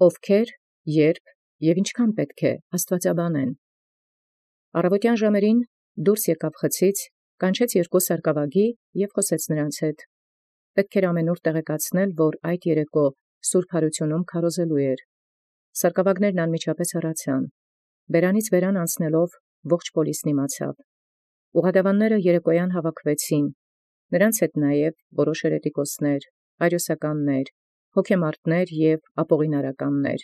ովքեր, երբ և ինչքան պետք է աստուածաբանեն։ Առավոտյան ժամերին դուրս եկավ խցից, կանչեց երկու սարկավագի և խոսեց նրանց հետ։ Պետք էր ամենուր տեղեկացնել, որ այդ երեկո սուրբ հարությունում քարոզելու էր։ Սարկավագներն անմիջապես հեռացան։ Բերանից բերան անցնելով ողջ պոլիսն իմացավ։ Ուղղադավանները երեկոյան հավաքվեցին, նրանց հետ նաև որոշ հերետիկոսներ, արիոսականներ, հոգեմարտներ և ապողինարականներ։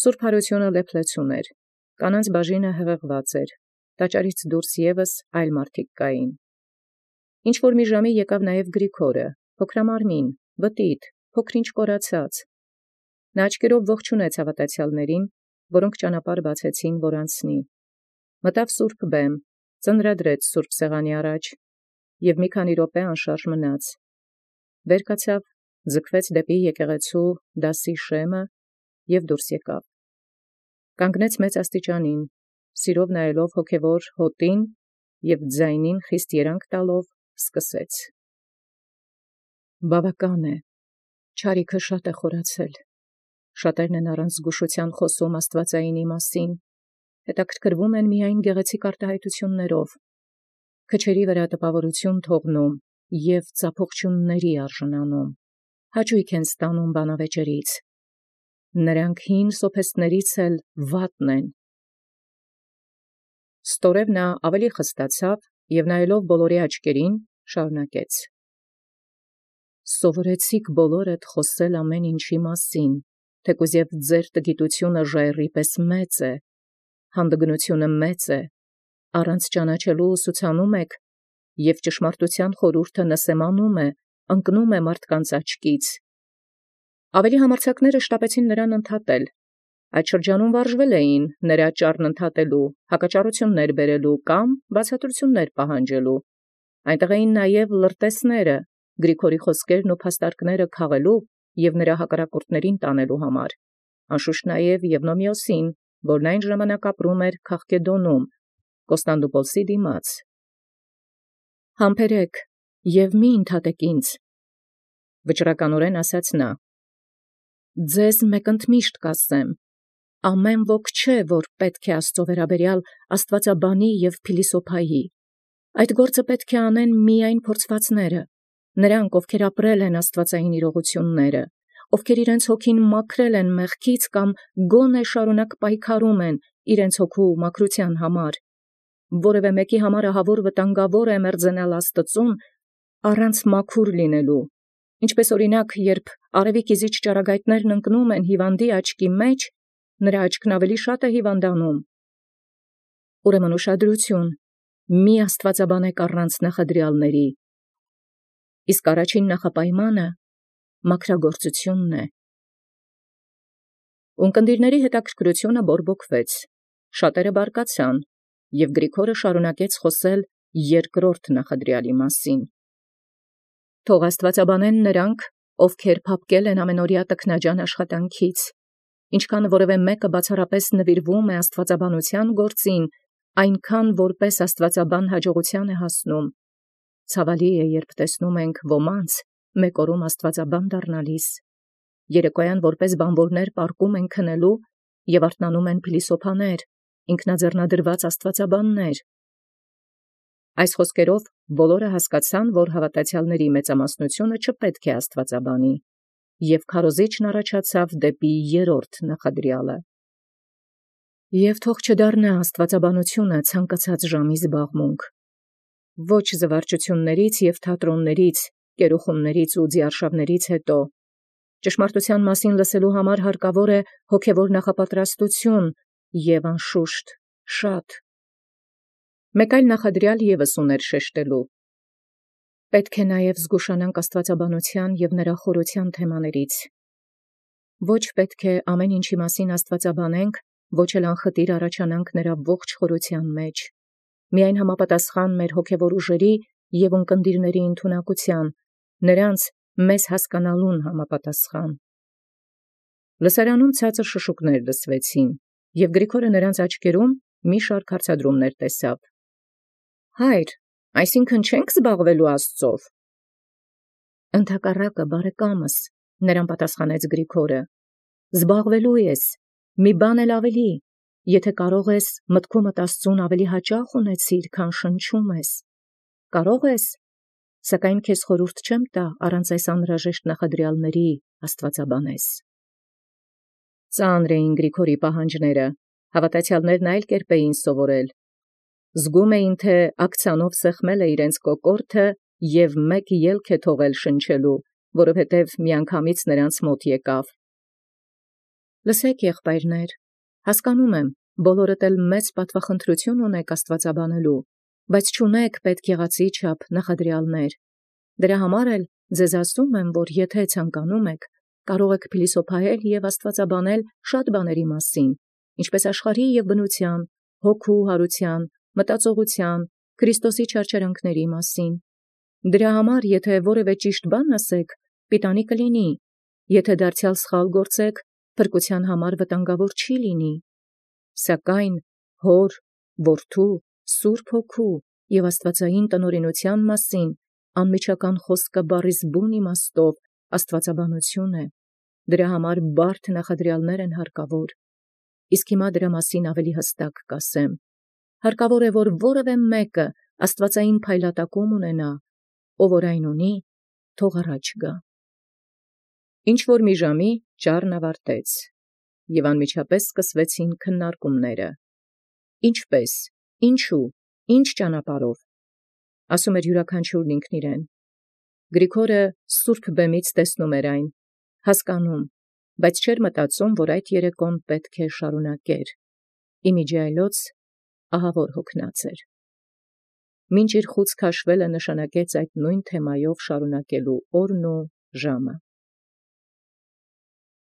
Սուրբ հարությունը լեփլեցուն էր, կանանց բաժինը հղեղված էր, տաճարից դուրս ևս այլ մարդիկ կային։ Ինչ որ մի ժամի եկավ նաև Գրիգորը, փոքրամարմին, բտիտ, փոքրինչ կորացած։ Նա աչքերով ողջունեց հավատացյալներին, որոնք ճանապարհ բացեցին, որ անցնի։ Մտավ սուրբ բեմ, ծնրադրեց սուրբ սեղանի առաջ և մի քանի րոպե անշարժ մնաց։ Վեր կացավ, ձգվեց դեպի եկեղեցու դասի շեմը և դուրս եկավ։ Կանգնեց մեծ աստիճանին, սիրով նայելով հոգևոր հոտին և ձայնին խիստ երանք տալով սկսեց. «Բավական է, չարիքը շատ է խորացել, շատերն են առանց զգուշության խոսում աստվածայինի մասին, հետաքրքրվում են միայն գեղեցիկ արտահայտություններով, քչերի վրա տպավորություն թողնում և ծափողջունների արժանանում, հաճույք են ստանում բանավեճերից, նրանք հին սոփեստներից էլ վատն են»։ Ստորև նա ավելի խստացավ և նայելով բոլորի աչքերին, շարունակեց. «Սովորեցիք բոլորդ խոսել ամեն ինչի մասին, թեկուզ և ձեր տգիտությունը ժայռի պես մեծ է, հանդգնությունը մեծ է, առանց ճանաչելու ուսուցանում եք, և ճշմարտության խորհուրդը նսեմանում է, ընկնում է մարդկանց աչքից։ Ավելի համարձակները շտապեցին նրան ընդհատել։ Այդ շրջանում վարժվել էին նրա ճառն ընդհատելու, հակաճառություններ բերելու կամ բացատրություններ պահանջելու։ Այնտեղ էին նաև լրտեսները, Գրիգորի խոսքերն ու փաստարկները քաղելու և նրա հակառակորդներին տանելու համար, անշուշտ նաև Եվնոմիոսին, որն այն ժամանակ ապրում էր Քաղկեդոնում, Կոստանդնուպոլսի դիմաց։ «Համբերեք և մի ընդհատեք ինձ», վճռականորեն ասաց նա։ «Ձեզ մեկընդմիշտ կասեմ, ամեն ոք չէ, որ պետք է Աստծո վերաբերյալ աստվածաբանի և փիլիսոփայի։ Այդ գործը պետք է անեն միայն փորձվածները, նրանք, ովքեր ապրել են աստվածային իրողությունները, ովքեր իրենց հոգին մաքրել են մեղքից կամ գոնե շարունակ պայքարում են իրենց հոգու մաքրության համար։ Որևէ մեկի համար ահավոր վտանգավոր է մերձենալ Աստծուն առանց մաքուր լինելու, ինչպես օրինակ, երբ արևի կիզիչ ճառագայթներն ընկնում են հիվանդի աչքի մեջ, նրա աչքն ավելի շատ է հիվանդանում։ Ուրեմն ուշադրություն, մի աստվածաբանեք առանց նախադրյալների։ Իսկ առաջին նախապայմանը մաքրագործությունն է»։ Ունկնդիրների հետաքրքրությունը բորբոքվեց, շատերը բարկացան, և Գրիգորը շարունակեց խոսել երկրորդ նախադրյալի մասին։ «Թող աստվածաբանեն նրանք, ովքեր փափկել են ամենօրյա տքնաջան աշխատանքից, ինչքան որևէ մեկը բացառապես նվիրվում է աստվածաբանության գործին, այնքան որպես աստվածաբան հաջողության է հասնում։ Ցավալի է, երբ տեսնում ենք ոմանց մեկ օրում աստվածաբան դառնալիս, երեկոյան որպես բանվորներ պառկում են քնելու և արթնանում են փիլիսոփաներ, ինքնաձեռնադրված աստվածաբաններ»։ Այս խոսքերով բոլորը հասկացան, որ հավատացյալների մեծամասնությունը չպետք է աստվածաբանի, և քարոզիչն առաջացավ դեպի երրորդ նախադրյալը։ «Եվ թող չդառնա աստվածաբանությունը ցանկացած ժամի զբաղմունք, ոչ զվարճություններից և թատրոններից, կերուխումներից ու ձիարշավներից հետո։ Ճշմարտության մասին լսելու համար հարկավոր է հոգևոր նախապատրաստություն և անշուշտ շատ»։ Մեկ այլ նախադրյալ ևս ուներ շեշտելու. «Պետք է նաև զգուշանանք աստվածաբանության և նրա խորության թեմաներից։ Ոչ պետք է ամեն ինչի մասին աստվածաբանենք, ոչ էլ անխտիր առաջանանք նրա ողջ խորության մեջ, միայն համապատասխան մեր հոգևոր ուժերի և ունկնդիրների ընդունակության, նրանց մեզ հասկանալուն համապատասխան»։ Լսարանում ցածր շշուկներ լսվեցին, և Գրիգորը նրանց աչքերում մի շարք հարցադրումներ տեսավ։ «Հայր, այսինքն չե՞նք զբաղվելու Աստծով»։ «Ընդհակառակը, բարեկամս», նրան պատասխանեց Գրիգորը, զբաղվելու ես, մի բան էլ ավելի, եթե կարող ես մտքումդ Աստծուն ավելի հաճախ ունեցիր, քան շնչում ես, կարող ես, սակայն քեզ խորհուրդ չեմ տա առանց այս անհրաժեշտ նախադրյալների աստվածաբանես։ Ծանր էին Գրիգորի պահանջները, հավատացյալներն այլ կերպ էին սովորել։ Զգում էին, թե ակցիանով սեղմել է իրենց կոկորդը և մեկ ելք է թողել շնչելու, որովհետև միանգամից նրանց մոտ եկավ։ Լսեք, եղբայրներ, հասկանում եմ, բոլորդ էլ մեծ պատվախնդրություն ունեք աստվածաբանելու, բայց չունեք պետք եղածի չափ նախադրյալներ։ Դրա համար էլ ձեզ ասում եմ, որ եթե ցանկանում եք, կարող եք փիլիսոփայել և աստվածաբանել շատ բաների մասին, ինչպես աշխարհի և բնության, հոգու հարության, մտածողության, Քրիստոսի չարչարանքների մասին։ Դրա համար, եթե որևէ ճիշտ բան ասեք, պիտանի կլինի, եթե դարձյալ սխալ գործեք, փրկության համար վտանգավոր չի լինի։ Սակայն Հոր, Որդու, Սուրբ Հոգու և աստվածային տնօրինության մասին անմիջական խոսքը բառիս բուն իմաստով աստվածաբանություն է։ Դրա համար բարդ նախադրյալներ են հարկավոր։ Իսկ հիմա դրա մասին ավելի հստակ կասեմ։ Հարկավոր է, որ որևէ մեկը աստվածային փայլատակում ունենա, ով որ այն ունի, թող առաջ գա։ Ինչ որ մի ժամի ճառն ավարտեց, և անմիջապես սկսվեցին քննարկումները։ Ինչպես, ինչու, ինչ ճանապարհով, ասում էր յուրաքանչյուրն ինքն իրեն։ Գրիգորը սուրբ բեմից տեսնում էր այն, հասկանում, բայց չէր մտածում, որ այդ երեկոն պետք է շարունակեր։ Իմիջիայլոց ահավոր հոգնած էր։ Մինչ իր խուցք հաշվելը նշանակեց այդ նույն թեմայով շարունակելու օրն ու ժամը։